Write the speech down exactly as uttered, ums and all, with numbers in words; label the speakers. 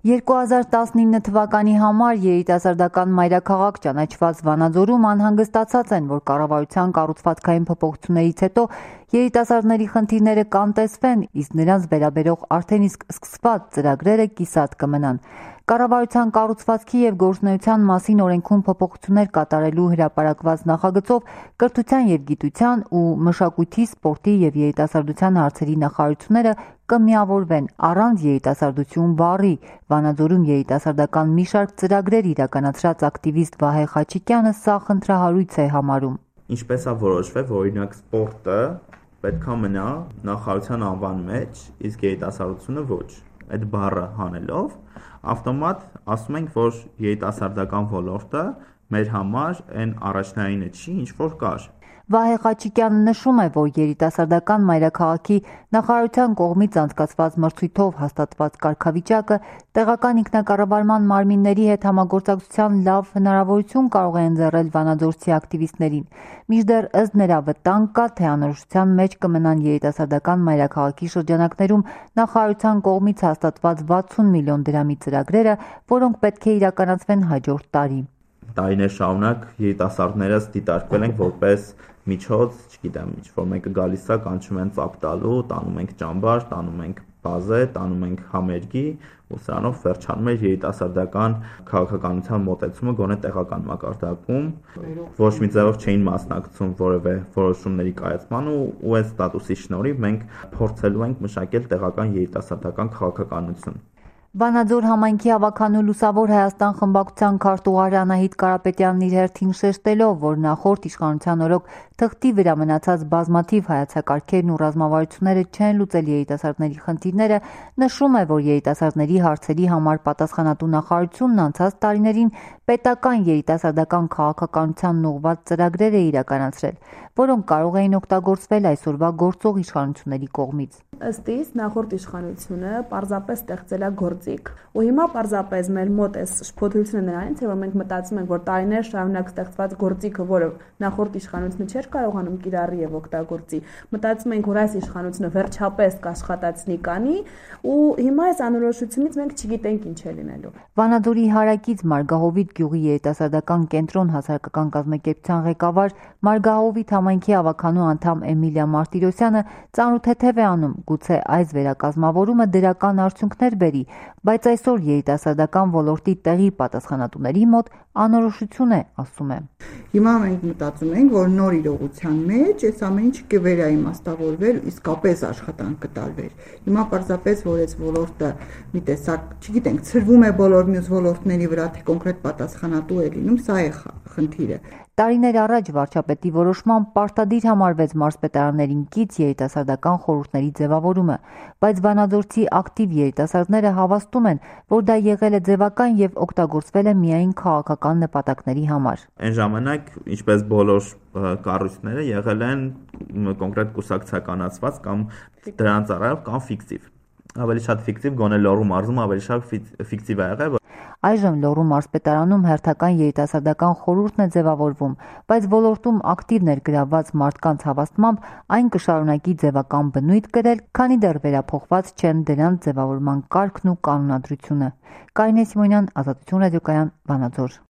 Speaker 1: երկու հազար տասնինը թվականի համար երիտասարդական մայրաքաղաք ճանաչված Վանաձորում անհանգստացած են, որ կառավարության կառուցվածքային փոփոխություններից հետո երիտասարդների խնդիրները կանտեսվեն, իսկ նրանց վերաբերող արդեն իսկ սկսված ծրագրերը կիսատ կմնան։ Կառավարության կառուցվածքի և գործունեության մասին օրենքում փոփոխություններ կատարելու հրապարակված նախագծով կրթության և գիտության ու մշակույթի, սպորտի և երիտասարդության հարցերի նախարարությունները կմիավորվեն առանց երիտասարդություն բառի։ Վանաձորում երիտասարդական մի շարք ծրագրեր իրականացրած ակտիվիստ Վահե Խաչիկյանը սա խնդրահարույց է համարում։
Speaker 2: Ինչպես է որոշվել, որ օրինակ սպորտը պետք է մնա նախարարության անվան մեջ, իսկ երիտասարդությունը ոչ։ Այդ բառը հանելով ավտոմատ ասում ենք, որ երիտասարդական ոլորտը մեր համար այն առաջնայինը չի, ինչ որ կար։
Speaker 1: Վահե Խաչիկյանը նշում է, որ երիտասարդական մայրաքաղաքի նախարարության կողմից անցկացված մրցույթով հաստատված կարգավիճակը տեղական ինքնակառավարման մարմինների հետ համագործակցության լավ հնարավորություն կարող է ընձեռել վանաձորցի ակտիվիստներին։ Մինչդեռ ըստ նրա վտանգ կա, թե անորոշության մեջ կմնան երիտասարդական մայրաքաղաքի շրջանակներում նախարարության կողմից հաստատված վաթսուն միլիոն դրամի ծրագրերը, որոնք պետք է իրականացվեն հաջորդ տարի։
Speaker 2: Տարիներ շարունակ երիտասարդները դիտարկվել են որպես միջոց, չգիտեմ, ինչ որ մեկը գալիս է, կանչում են ծափ տալու, տանում ենք ճամբար, տանում ենք բազե, տանում ենք համերգի, ու սրանով վերջանում է երիտասարդական քաղաքականության մոտեցումը գոնե տեղական մակարդակում, ոչ մի ձևով չէին մասնակցում որևէ որոշումների կայացման ու այս ստատուսի շնորհիվ մենք փորձելու ենք մշակել տեղական երիտասարդական քաղաքականություն։
Speaker 1: Վանաձոր համայնքի հավաքանու Լուսավոր Հայաստան խմբակցության քարտուղար Անահիտ Կարապետյանն իր հերթին շեշտելով, որ նախորդ իշխանության օրոք թղթի վրա մնացած բազմաթիվ հայեցակարգերն ու ռազմավարությունները չեն լուծել երիտասարդների խնդիրները, նշում է, որ երիտասարդների հարցերի համար պատասխանատու նախարարությունն անցած տարիներին պետական երիտասարդական քաղաքականությանն ուղղված ծրագրեր է իրականացրել, որոնք կարող էին օգտագործվել այսօրվա գործող իշխանությունների կողմից։
Speaker 3: Ըստ իս նախորդ իշխանությունը պարզապես ստեղծել է գործիք, ու հիմա պարզապես մեր մոտ է շփոթությունը նրանից է, որ մենք մտածում ենք, որ տարիներ շարունակ ստեղծված գործիքը, որը նախորդ իշխանությունը չէր կարողանում կիրառի եւ օգտագործի, մտածում ենք, որ այս իշխանությունը վերջապես կաշխատացնի կանի, ու հիմա այս անորոշությունից մենք չգիտենք ինչ է լինելու։
Speaker 1: Վանաձորի հարակից Մարգահովիտ գյուղի երիտասարդական կենտրոն հասարակական կազմակերպության ղեկավար Մարգահովիտ համայնքի հավաքանու անդամ Էմիլիա Մարտիրոսյանը ծանոթ է անում, գուցե այս վերակազմավորումը դրական արդյունքներ բերի, բայց այսօր երիտասարդական ոլորտի տեղի պատասխանատուների մոտ անորոշություն է, ասում է։
Speaker 4: Հիմա մենք մտածում ենք, որ նոր իրողության մեջ այս ամեն ինչը կվերաիմաստավորվեր, իսկապես աշխատանք կտարվեր։ Հիմա պարզապես որ այս ոլորտը մի տեսակ, չգիտենք, ցրվում է բոլոր մյուս ոլորտների վրա, թե կոնկրետ պատասխանատու է լինում, սա է խնդիրը։
Speaker 1: Տարիներ առաջ վարչապետի որոշմամբ պարտադիր համարվեց մարզպետարաններին կից երիտասարդական խորհուրդների ձևավորումը, բայց վանաձորցի ակտիվ երիտասարդները հավաստում են, որ դա եղել է ձևական եւ օգտագործվել է միայն քաղաքական նպատակների համար։
Speaker 2: Այն ժամանակ, ինչպես բոլոր կառույցները եղել են կոնկրետ կուսակցականացված կամ դրանց առավել կամ ֆիկտիվ։ Ավելի շատ ֆիկտիվ, գոնե Լոռու մարզում ավելի շատ ֆիկտիվ է եղել։
Speaker 1: Այժմ Լոռու մարզպետարանում հերթական երիտասարդական խորհուրդն է ձևավորվում, բայց ոլորտում ակտիվ ներգրավված մարդկանց հավաստմամբ այն կշարունակի ձևական բնույթ կրել, քանի դեռ վերափոխված չեն դրանց ձևավորման կարգն ու կանոնադրությունը։ Կարինե Սիմոնյան, Ազատություն ռադիոկայան, Վանաձոր։